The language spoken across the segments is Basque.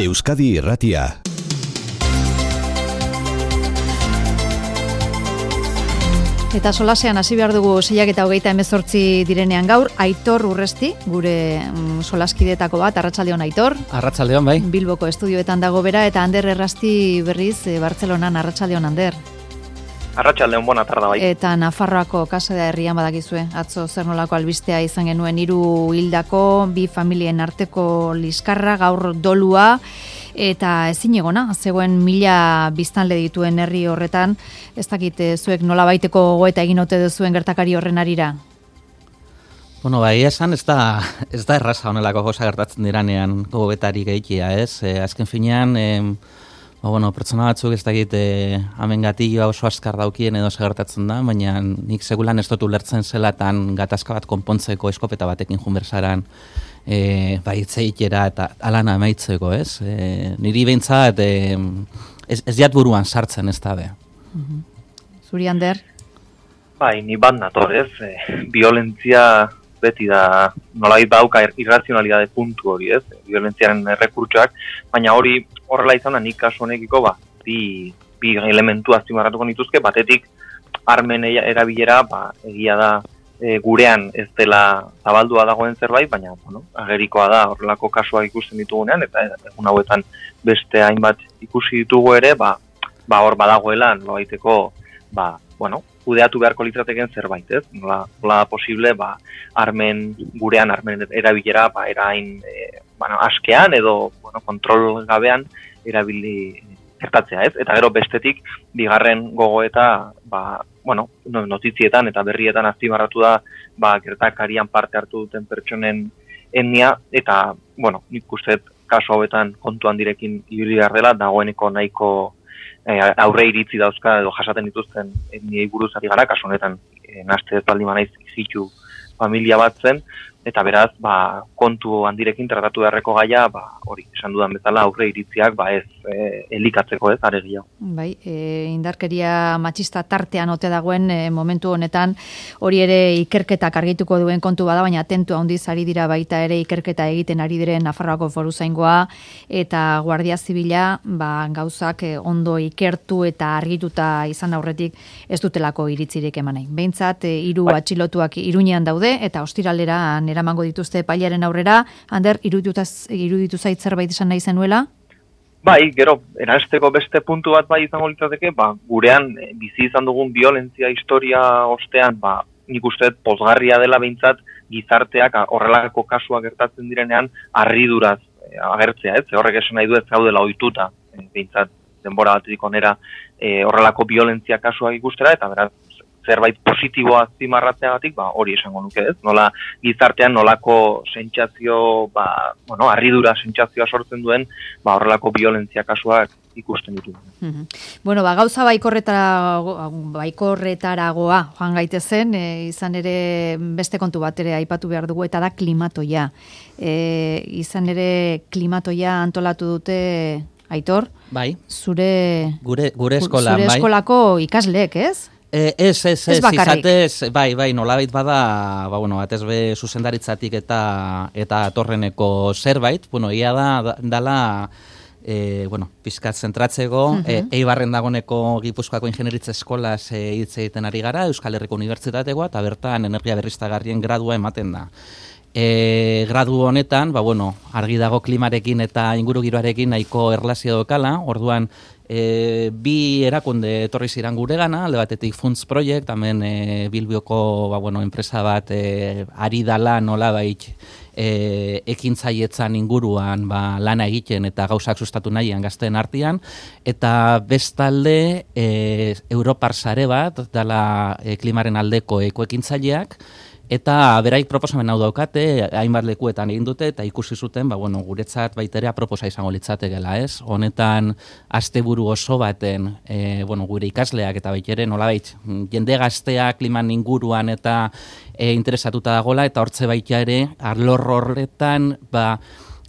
Euskadi Irratia. Eta solasean hasi behar dugu 6:28 direnean gaur, Aitor Urresti, gure solaskidetako bat, arratsaldeon Aitor. Arratsaldeon bai. Bilboko estudioetan dago bera, eta Ander Errasti berriz Bartzelonan, arratsaldeon Ander. Arratsaldeon, bona tarda bai. Eta Nafarroako Kasa da herrian badakizue, atzo zer nolako albistea izan genuen 3 hildako, 2 familien arteko liskarra, gaur dolua, eta ezin egona, zegoen 1000 biztanle dituen herri horretan, ez dakit zuek nola baiteko gogoeta egin ote duzuen gertakari horren arira? Bueno, bai, esan ez da erraza honelako gauza gertatzen diranean gogoetari gehiagia, ez? Azken finean, pertsona batzuk ez dakit hemen gatilloa oso askar daukien edo gertatzen da, baina nik segulan ez dut ulertzen zelatan gatazka bat konpontzeko eskopeta batekin junbersaran baitzeikera eta alana emaitzeko, ez? Niri behintzat ez jat buruan sartzen ez da be. Zuri, Ander? Bai, ni bat nator, ez? Violentzia beti da nolabait dauka irrazionalidade puntu hori, ez? Violentziaren errekurtsoak, baina hori horrela izan da nik kasu honekiko bi elementu azpimarratuko nituzke, batetik armen erabilera egia da gurean ez dela zabaldua dagoen zerbait, baina agerikoa da horrelako kasuak ikusten ditugunean, eta egun hauetan beste hainbat ikusi ditugu ere, hor badagoela nolabaiteko kudeatu beharko litzateken zerbait, ez? Nola posible, gurean armen erabilera erain askean edo kontrol gabean erabili gertatzea, ez? Eta gero bestetik, bigarren gogoeta, notizietan eta berrietan azpimarratu da, gertakarian parte hartu duten pertsonen etnia, eta, nik uste kasu hauetan kontuan direkin ibili behar dela, dagoeneko nahiko aurre iritzi dauzka edo jasaten dituzten etniei buruz ari gara, kasu honetan naste ez baldin banaiz izitu familia bat zen, eta beraz, kontu handirekin tratatu beharreko gaia, hori, esan dudan bezala, aurre iritziak, ez elikatzeko ez, aregia. Bai, indarkeria matxista tartean ote dagoen momentu honetan, hori ere ikerketak argituko duen kontu bada, baina atentu handiz ari dira baita ere ikerketa egiten ari diren Nafarroako Foruzaingoa eta Guardia Zibila, gauzak ondo ikertu eta argituta izan aurretik ez dutelako iritzirik eman nahi. Behintzat, 3 atxilotuak Iruñean daude, eta ostiralera eramango dituzte epailearen aurrera. Ander, iruditu zait zerbait esan nahi zenuela? Bai, gero, eransteko beste puntu bat izango litzateke, gurean bizi izan dugun violentzia historia ostean, nik uste pozgarria dela behintzat gizarteak horrelako kasuak gertatzen direnean harriduraz agertzea, ez? Horrek esan nahi du ez gaudela ohituta, behintzat denbora batetik onera horrelako violentzia kasuak ikustera, eta beraz, zerbait positiboa azpimarratzeagatik, hori esango nuke, ez? Nola gizartean nolako sentsazio, harridura sentsazioa sortzen duen, horrelako violentzia kasuak ikusten ditu. Gauza baikorretaragoa joan gaitezen, izan ere beste kontu bat ere aipatu behar dugu, eta da klimatoia. Izan ere klimatoia antolatu dute, Aitor? Bai. Gure eskolako ikasleek, ez? Ez izatez, bai, nolabait bada, batez be zuzendaritzatik eta atorreneko zerbait, egia dala, pizkat zentratzeko, Eibarren dagoneko Gipuzkoako Ingenieritza Eskolaz hitz egiten ari gara, Euskal Herriko Unibertsitatekoa, eta bertan energia berriztagarrien gradua ematen da. Gradu honetan, argi dago klimarekin eta ingurugiroarekin nahiko erlazio dokala, orduan, 2 erakunde etorri ziren guregana, alde batetik Funts Project, hemen Bilbioko enpresa bat ari dala nolabait ekintzaietzan inguruan lana egiten eta gauzak sustatu nahian gazteen artean, eta bestalde Europar sare bat dala klimaren aldeko ekoekintzaileak, eta beraik proposamen hau daukate, hainbat lekuetan egin dute, eta ikusi zuten, guretzat baiterea proposa izango litzatekela, ez? Honetan, asteburu oso baten, gure ikasleak eta baitere nolabait, jende gaztea kliman inguruan eta interesatuta dagola, eta hortze baita ere, arlor horretan,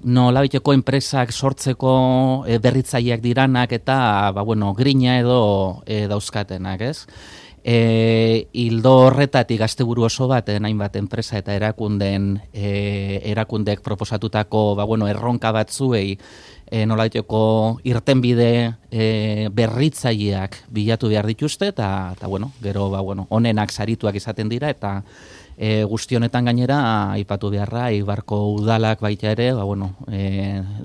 nolabaiteko enpresak sortzeko berritzaileak diranak eta, grina edo dauzkatenak, ez? Hildo horretatik asteburu oso bat hainbat enpresa eta erakundek proposatutako erronka batzuei nolaiteko irtenbide berritzaileak bilatu behar dituzte, eta bueno, gero, onenak sarituak izaten dira, eta guzti honetan gainera, aipatu beharra, Eibarko udalak baita ere,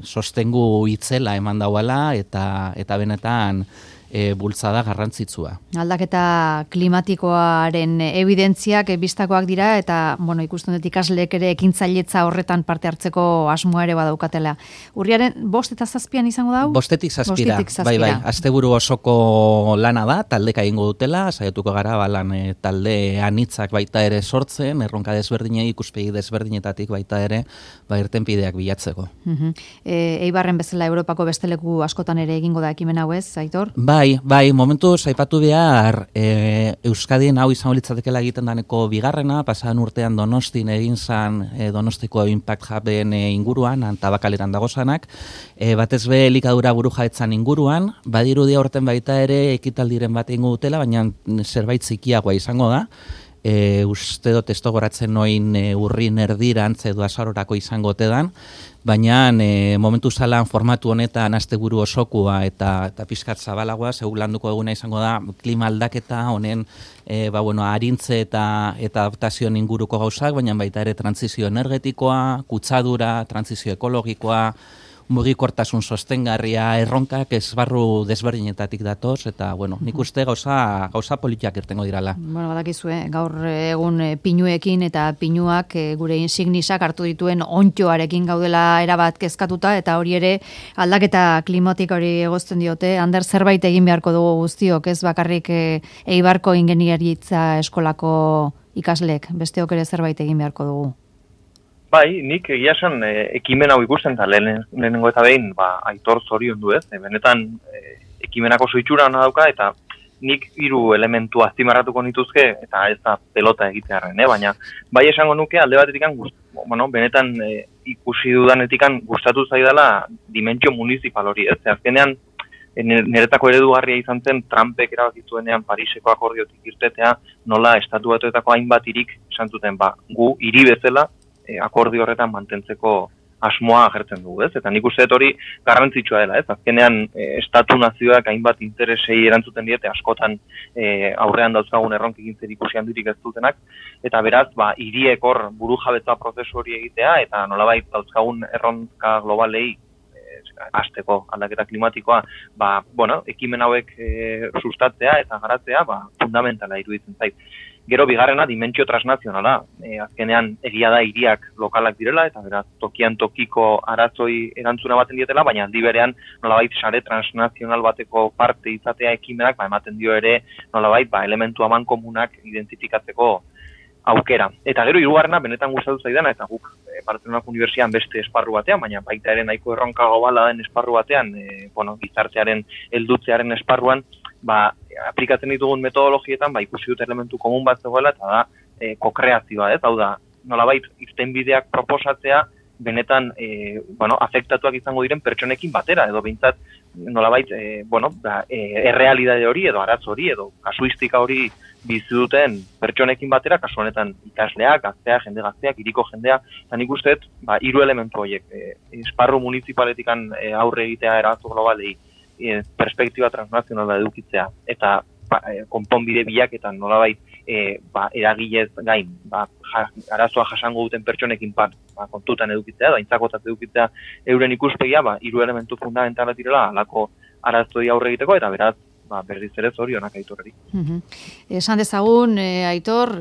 sostengu itzela eman dauala, eta benetan, bultzada garrantzitsua. Aldaketa klimatikoaren evidentziak bistakoak dira eta ikusten dut ikasleek ere ekintzailetza horretan parte hartzeko asmoa ere badaukatela. Urriaren 5 eta 7 izango da? 5 zazpira. Bai, asteburu osoko lana da, taldeka egingo dutela, saiatuko gara balan talde anitzak baita ere sortzen, erronka desberdinei ikuspegi desberdinetatik baita ere irtenbideak bilatzeko. Eibarren bezala Europako beste leku askotan ere egingo da ekimen hau, ez, Aitor? Bai, momentuz aipatu behar Euskadien hau izango litzatekeela egiten daneko bigarrena, pasadan urtean Donostin egin zan Donostiko Impact Huben inguruan, Tabakaleran dagozanak, batez be elikadura burujabetzan inguruan, badirudia horten baita ere ekitaldiren bat egingo dutela, baina zerbait zikiagoa izango da. Uste dut ez goratzen noin urrin erdirantz edo azarorako izango tedan, baina momentu zalan formatu honetan asteburu osokua eta pixkat zabalagoa, segur landuko eguna izango da klima aldaketa honen arintze eta adaptazioen inguruko gauzak, baina baita ere trantsizio energetikoa, kutsadura, trantsizio ekologikoa, mugikortasun sostengarria, erronkak esbarru desberdinetatik datoz, eta, nik uste gauza politiak irtengo dirala. Badakizue, gaur egun pinuekin eta pinuak gure insignisak hartu dituen ontxoarekin gaudela erabat kezkatuta, eta hori ere aldaketa klimatik hori egozten diote, Ander zerbait egin beharko dugu guztiok, ez bakarrik Eibarko ingeniaritza eskolako ikasleek, besteok ere zerbait egin beharko dugu. Bai, nik egia esan ekimen hau ikusten, eta lehenengo eta behin Aitor zorion du ez, benetan ekimenak oso itxura hona dauka, eta nik 3 elementu azpimarratuko nituzke, eta ez da pelota egitearen, baina bai esango nuke alde batetikan, benetan ikusi dudanetikan gustatu zaidala dimentsio municipal hori, ez, azkenean niretako eredugarria izan zen Trumpek erabakitzuenean Pariseko akordiotik irtetea, nola estatu batuetako hainbat hirik esan zuten, gu hiri bezala, akordio horretan mantentzeko asmoa agertzen dugu, ez? Eta nik uste dut hori garrantzitsua dela, ez? Azkenean estatu nazioak hainbat interesei erantzuten diete askotan aurrean dauzkagun erronkekin zerikusi handirik ez dutenak, eta beraz, hiriek hor burujabetza prozesu hori egitea eta nolabait dauzkagun erronka globalei hasteko aldaketa klimatikoa, ekimen hauek sustatzea eta garatzea, fundamentala iruditzen zait. Gero bigarrena dimentsio transnazionala, azkenean egia da hiriak lokalak direla, eta beraz tokian tokiko aratzoi erantzuna baten dietela, baina aldi berean nolabait sare transnazional bateko parte izatea ekimenak, ematen dio ere nolabait elementu amankomunak identifikatzeko aukera. Eta gero hirugarrena benetan gustatu zaidana, eta guk Bartzelonako Unibertsitatean beste esparru batean, baina baita ere nahiko erronka globala den esparru batean, gizartearen heldutzearen esparruan, aplikatzen ditugun metodologietan, ikusi dut elementu komun bat zegoela, eta da kokreazioa, ez? Hau da, nolabait irtenbideak proposatzea, benetan, afektatuak izango diren pertsonekin batera, edo behintzat, nolabait, errealidade hori, edo aratz hori, edo kasuistika hori bizi duten pertsonekin batera, kasu honetan ikasleak, gazteak, jende gazteak, hiriko jendea, eta nik uste, 3 elementu horiek, esparru municipaletikan aurre egitea erazu globalei, perspektiba transnazionala edukitzea, eta konponbide bilaketan nolabait eragilez gain, arazoa jasango duten pertsonekin kontutan edukitzea, aintzakotzat edukitzea euren ikuspegia, 3 elementu fundamentala direla halako arazoi aurre egiteko, eta beraz, berriz ere zorionak Aitorreri. Esan dezagun, Aitor,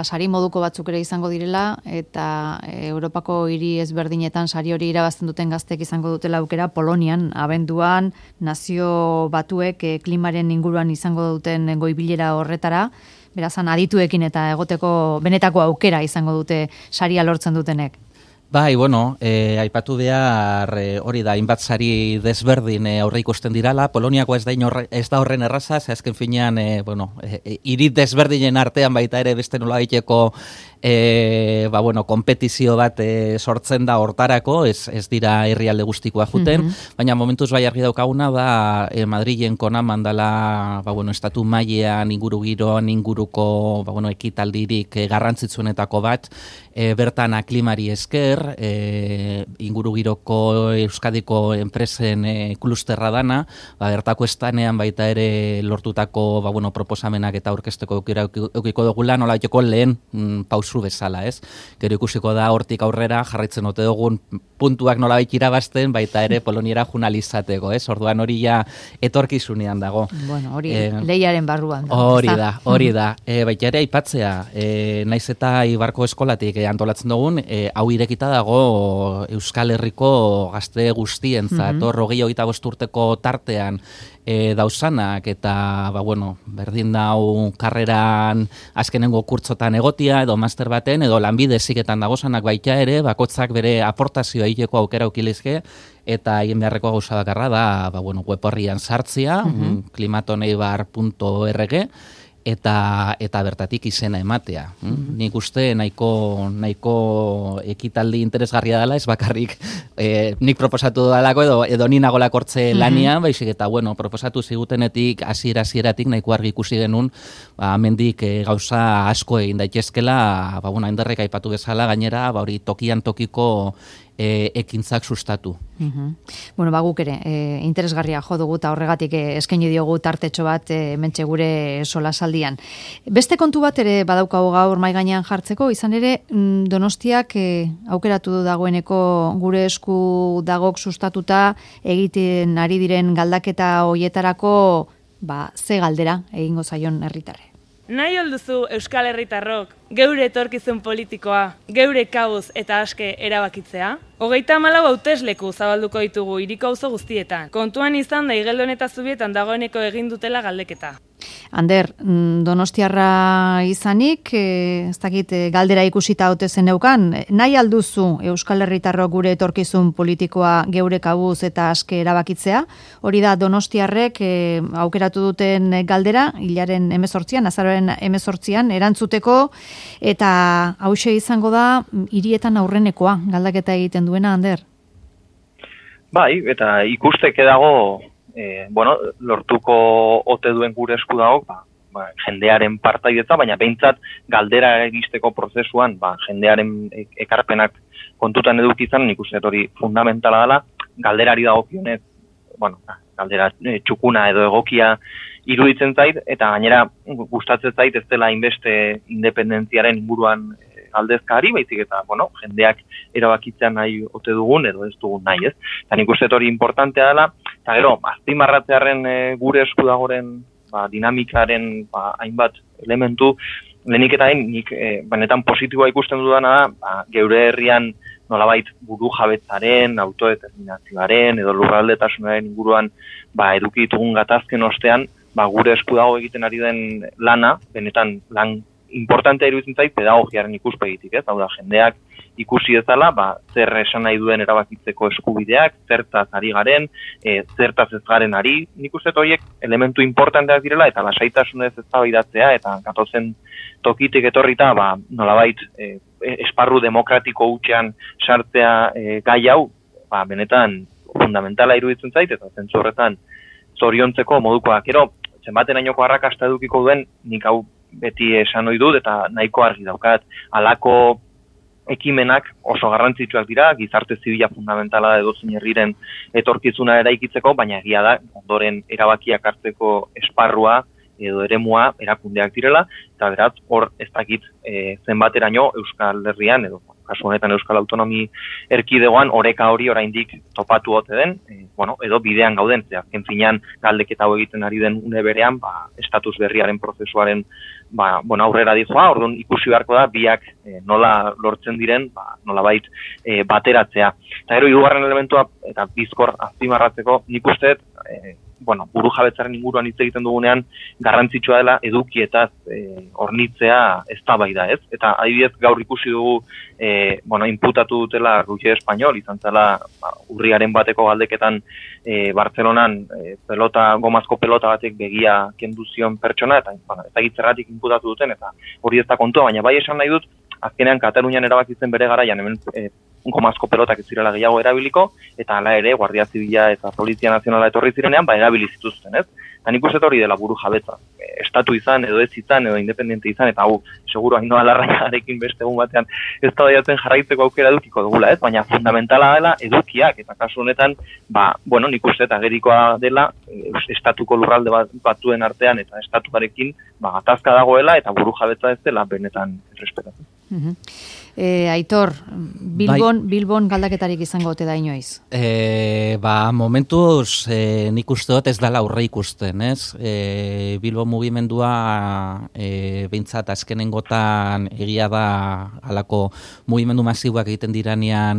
sari moduko batzuk ere izango direla, eta Europako hiri ezberdinetan sari hori irabazten duten gaztek izango dutela aukera, Polonian, abenduan, nazio batuek klimaren inguruan izango duten goibilera horretara, berazan adituekin eta egoteko benetako aukera izango dute saria lortzen dutenek. Bai, aipatu behar hori da, hainbat sari desberdin aurre ikusten dirala, Poloniako ez da horren erraza, ze azken finean, hiri desberdinen artean baita ere beste nola egiteko konpetizio bat sortzen da hortarako, ez dira herrialde guztikoa juten, baina momentuz bai argi daukaguna da Madrilen konaman dela, estatu mailean inguruko ekitaldirik garrantzitsuenetako bat, bertan aklimari esker, ingurugiroko Euskadiko enpresen klusterra dana, bertako estanean baita ere lortutako proposamenak eta aurkezteko eukiko dugula, nola joko lehen pausu bezala, ez? Gero ikusiko da hortik aurrera jarraitzen ote dugun puntuak nolabait irabazten, baita ere Poloniera junalizateko, ez? Orduan hori ja etorkizunean dago. Bueno, hori lehiaren barruan. Hori da. Baita ere aipatzea, naiz eta Ibarko eskolatik antolatzen dugun, hau irekita dago Euskal Herriko gazte guztientzat, 25 urteko tartean dauzanak eta berdin dau karreran azkenengo kurtzotan egotia edo master baten edo lanbide heziketan dagozanak baita ere, bakotzak bere aportazioa egiteko aukera ukilizke eta egin beharreko gauza bakarra da web horrian sartzia, klimatoneibar.org eta bertatik izena ematea. Nik uste nahiko ekitaldi interesgarria dela, ez bakarrik nik proposatu dalako edo ni nagolak hortze lanian, baizik eta proposatu zigutenetik hasieratik nahiko argi ikusi genuen, hemendik gauza asko egin daitezkela, Enderrek aipatu bezala gainera, hori tokian tokiko ekintzak sustatu. Guk ere, interesgarria jo dugu eta horregatik eskaini diogu tartetxo bat mentxe gure solasaldian. Beste kontu bat ere badaukagu gaur mahai gainean jartzeko, izan ere Donostiak aukeratu du dagoeneko gure esku dagok sustatuta egiten ari diren galdaketa hoietarako ze galdera egingo zaion herritarre. Nahi alduzu Euskal Herritarrok geure etorkizun politikoa, geure kabuz eta aske erabakitzea? 34 hautesleku zabalduko ditugu hiriko auzo guztietan. Kontuan izan da Igeldon eta Zubietan dagoeneko egin dutela galdeketa. Ander, Donostiarra izanik, ez dakit galdera ikusita haute zeneukan, nahi alduzu Euskal Herritarrok gure etorkizun politikoa geure kabuz eta aske erabakitzea? Hori da Donostiarrek aukeratu duten galdera, hilaren 18an, azaroaren 18an, erantzuteko, eta hauxe izango da hirietan aurrenekoa galdaketa egiten duena, Ander? Bai, eta ikusteke dago lortuko ote duen gure esku dago, jendearen partaidetza, baina behintzat galdera egisteko prozesuan, jendearen ekarpenak kontutan edukizan, nik uste hori fundamentala dela, galderari dagokionez, galdera txukuna edo egokia iruditzen zait, eta gainera gustatzen zait ez dela inbeste independentziaren inguruan aldezkari, baizik eta, jendeak erabakitzean nahi ote dugun edo ez dugun nahi, ez? Eta nik uste hori importantea dela, eta gero, azpimarratzearen gure esku dagoren dinamikaren hainbat elementu, lehenik eta nik benetan positiboa ikusten dudana da, geure herrian nolabait buru jabetzaren, autodeterminazioaren edo lurraldetasunaren inguruan eduki ditugun gatazken ostean, gure esku dago egiten ari den lana, benetan lan importantea iruditzen zait pedagogiaren ikuspegitik, ez? Hau da, jendeak ikusi ezala, zer esan nahi duen erabakitzeko eskubideak, zertaz ari garen, zertaz ez garen ari, nik uste horiek elementu importanteak direla, eta lasaitasunez eztabaidatzea, eta gatozen tokitik etorrita, nolabait, esparru demokratiko hutsean sartzea gai hau, benetan fundamentala iruditzen zait, eta zentzu horretan zoriontzeko modukoak. Gero, zenbaten ainoko arrakasta edukiko duen, nik hau beti esan ohi dut eta nahiko argi daukat. Halako ekimenak oso garrantzitsuak dira, gizarte zibila fundamentala da edozein herriren etorkizuna eraikitzeko, baina egia da, ondoren erabakiak hartzeko esparrua edo eremua erakundeak direla, eta beraz, hor ez dakit zenbateraino Euskal Herrian, edo kasu honetan Euskal Autonomi Erkidegoan, oreka hori oraindik topatu ote den, edo bidean gauden, azken finean galdeketa hau egiten ari den une berean, estatus berriaren prozesuaren aurrera dizoa, orduan ikusi beharko da, biak nola lortzen diren, nolabait bateratzea. Eta gero, hirugarren elementua, eta bizkor azpimarratzeko, nik uste, buru jabetzaren inguruan hitz egiten dugunean, garrantzitsua dela edukietaz hornitzea eztabaida, ez? Eta adibidez gaur ikusi dugu, inputatu dutela Roger Español, izan zela urriaren bateko galdeketan Bartzelonan gomazko pelota batek begia kendu zion pertsona, eta ez dakit zergatik inputatu duten, eta hori ez da kontua, baina bai esan nahi dut, azkenean Katalunian erabakitzen bere garaian hemen gomazko pelotak ez zirela gehiago erabiliko, eta hala ere Guardia Zibila eta Polizia Nazionala etorri zirenean, erabili zituzten, ez? Eta nik uste hori dela buru jabetza. Estatu izan, edo ez izan, edo independente izan, eta seguru Ainhoa Larrañagarekin beste egun batean ez da jarraitzeko aukera edukiko dugula, ez? Baina fundamentala dela edukiak, eta kasu honetan, nik uste eta gerikoa dela, estatuko lurralde batzuen artean, eta estatuarekin, gatazka dagoela, eta buru jabetza ez dela benetan errespetatzen. Aitor, Bilbon galdaketarik izango ote da inoiz? Momentuz nik uste dut ez dala aurre ikusten, ez? Bilbo mugimendua behintzat azkenengotan egia da halako mugimendu masiboak egiten diranean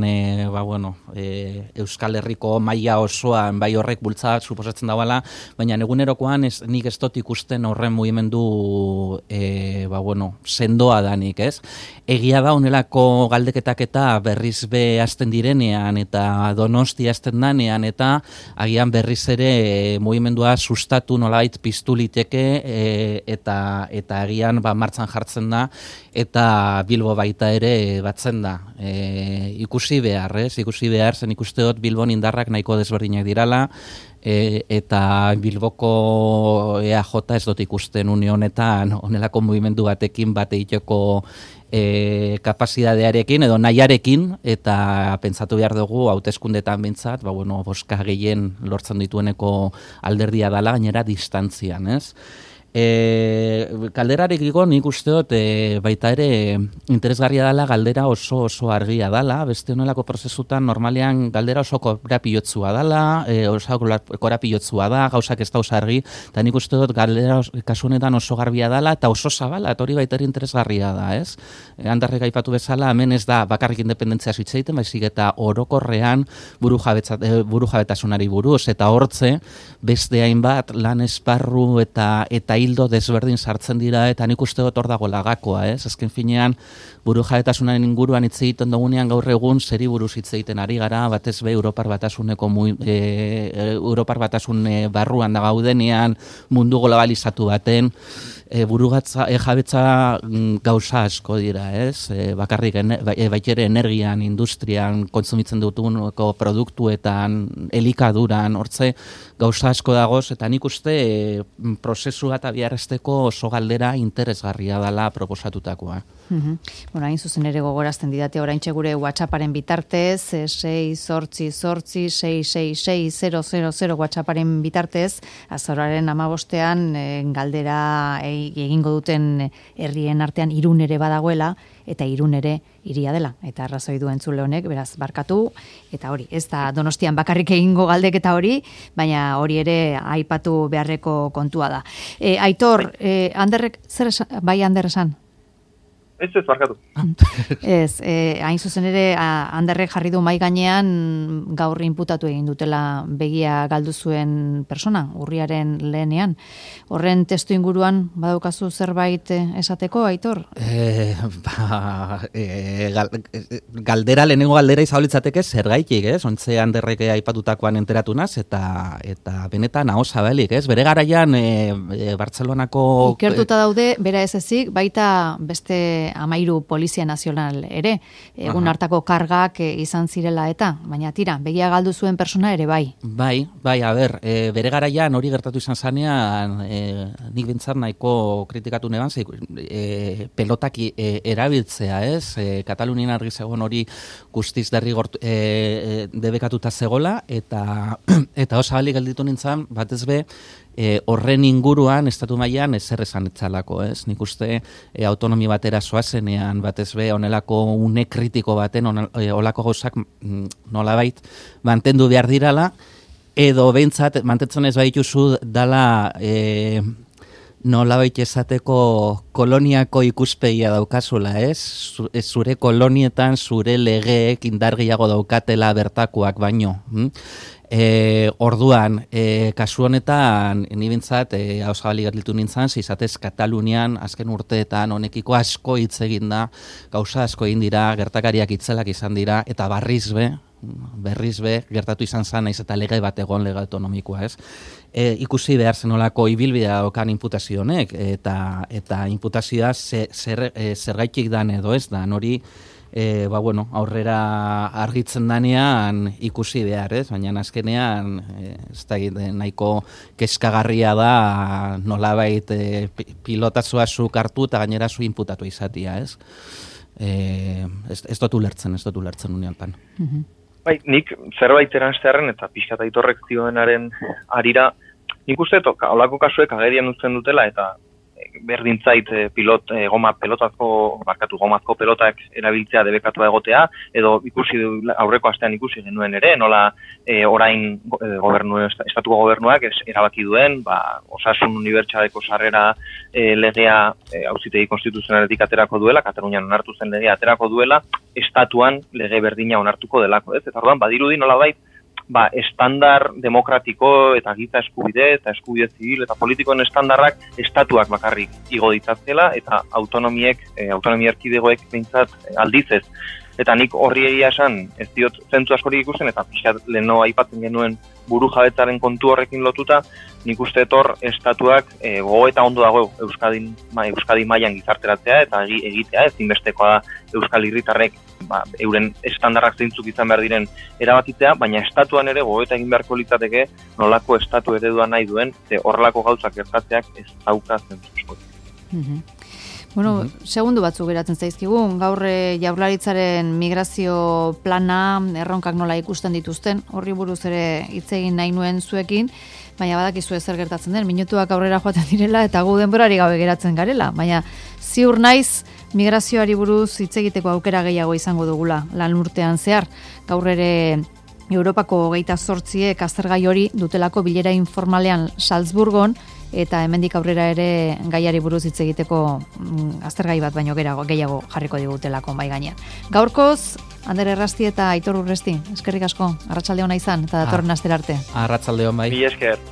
Euskal Herriko maila osoan bai horrek bultzat suposatzen dagoela, baina egunerokoan nik ez dut ikusten horren mugimendu sendoa danik, ez? Egia da honelako galdeketak eta berriz be hasten direnean eta Donosti hasten danean eta agian berriz ere mugimendua sustatu nolabait piztu liteke eta agian martxan jartzen da eta Bilbo baita ere batzen da. Ikusi behar zen ikuste dut Bilbon indarrak nahiko desberdinak dirala, eta Bilboko EAJ ez dut ikusten une honetan honelako mugimendu batekin bat egiteko kapazitatearekin edo nahiarekin, eta pentsatu behar dugu hauteskundetan behintzat, boska gehien lortzen ditueneko alderdia dela, gainera distantzian, ez? Galderarekiko nik uste dut baita ere interesgarria dela, galdera oso argia dela, beste honelako prozesutan normalean galdera oso korapilotzua dela, gauzak ez da oso argi, eta nik uste dut galdera kasu honetan oso garbia dela eta oso zabala, eta hori baita ere interesgarria da, ez? Handarrek aipatu bezala, hemen ez da bakarrik independentzia hitz egiten, baizik eta orokorrean burujabetasunari buruz, eta hortze beste hainbat lan esparru eta hildo desberdin sartzen dira, eta nik uste dut hor dago lagakoa, ez? Azken finean, burujabetasunaren inguruan hitz egiten dugunean gaur egun zeri buruz hitz egiten ari gara, batez be Europar Batasun barruan da gaudenean, mundu globalizatu baten, burujabetza gauza asko dira, ez? Bakarrik baitere energian, industrian, kontsumitzen dutuneko produktuetan, elikaduran, hortze gauza asko dagoz, eta nik uste prozesua eta biharrezteko oso galdera interesgarria dela proposatutakoa. Hain zuzen ere gogorazten didate oraintxe gure WhatsApparen bitartez, 688-666-000 WhatsApparen bitartez, azaroaren 15ean galdera egingo duten herrien artean Irun ere badagoela, eta Irun ere hiria dela, eta arrazoi du entzule honek, beraz barkatu, eta hori, ez da Donostian bakarrik egingo galdeketa hori, baina hori ere aipatu beharreko kontua da. Aitor, Anderrek, Ander esan? Ez barkatu. Ez, hain zuzen ere, Anderrek jarri du mai gainean gaur inputatu egin dutela begia galdu zuen persona, urriaren lehenean. Horren testu inguruan badaukazu zerbait esateko, Aitor? Lehenengo galdera izaulitzateke zergaitik, ez? Ontze Anderrek aipatutakoan enteratu naz, eta benetan aho zabalik, ez? Bere garaian Bartzelonako... Ikertuta daude, bera ez ezik, baita beste 13 Polizia Nazional ere, egun hartako kargak izan zirela eta, baina tira, begia galdu zuen persona ere bai. Bai, bere garaian hori gertatu izan zanean, nik bintzat nahiko kritikatu neban, pelotak erabiltzea, ez? Katalunien argi zegoen hori guztiz debekatuta zegola, eta osabalik gelditu nintzen, batez be, horren inguruan, estatu mailan ezer esan etzalako, ez? Nik uste autonomi batera zoazenean, batez be, onelako une kritiko baten, olako gauzak nolabait mantendu behar dirala, edo behintzat, mantentzen ez baituzu dala nolabait esateko koloniako ikuspegia daukazula, ez? Zure kolonietan, zure legeek indargiago daukatela bertakoak baino. Orduan, kasu honetan, nibintzat, hausabali gerlitu nintzen, izatez Katalunian, azken urteetan, honekiko asko hitz egin da, gauza asko egin dira, gertakariak itzelak izan dira, eta barriz be, berriz gertatu izan zen, naiz eta lege bat egon, lege autonomikoa, ez? Ikusi behar zenolako ibilbidea okan imputazio honek, eta imputazioa zergaitik dan edo ez da, hori aurrera argitzen danean ikusi behar, ez? Baina azkenean ez da nahiko kezkagarria da nolabait pilotazua zuk hartu eta gainera zu inputatu izatea, ez? Ez dut ulertzen unealtan. Bai, nik zerbait eranztearen eta pixka eta itorrek zioenaren arira, nik uste olako kasuek agerian utzen dutela eta berdintzait gomazko pelotak erabiltzea debekatua egotea, edo ikusi aurreko astean ikusi genuen ere, nola orain estatuko gobernuak erabaki duen, osasun unibertsaleko sarrera legea auzitegi konstituzionaletik aterako duela, Katalunian onartu zen legea aterako duela, estatuan lege berdina onartuko delako, ez? Eta orduan badirudi nolabait estandar demokratiko eta giza eskubide eta eskubide zibil eta politikoen estandarrak estatuak bakarrik igo ditzatela eta autonomia erkidegoek behintzat aldiz ez. Eta nik horri egia esan ez diot zentzu askorik ikusten eta pixkat leheno aipatzen genuen buru jabetzaren kontu horrekin lotuta, nik uste etor estatuak gogoeta ondo dago Euskadi mailan gizarteratzea eta egitea ezinbestekoa da Euskal Herritarrek euren estandarrak zeintzuk izan behar diren erabakitzea, baina estatuan ere gogoeta egin beharko litzateke nolako estatu eredua nahi duen, horrelako gauzak gertatzeak ez dauka zentzu askorik. Bueno, segundu batzuk geratzen zaizkigun, gaur Jaurlaritzaren migrazio plana, erronkak nola ikusten dituzten, horri buruz ere hitz egin nahi nuen zuekin, baina badakizu zer gertatzen den, minutuak aurrera joaten direla eta gu denborari gabe geratzen garela, baina ziur naiz migrazioari buruz hitz egiteko aukera gehiago izango dugula lan urtean zehar, gaur ere Europako 28ek aztergai hori dutelako bilera informalean Salzburgon, eta hemendik aurrera ere gaiari buruz hitz egiteko aztergai bat baino gehiago jarriko digutelako bai gainean. Gaurkoz, Ander Errasti eta Aitor Urresti, eskerrik asko, arratsalde ona izan eta datorren astera arte. Arratsalde on bai. Mila esker.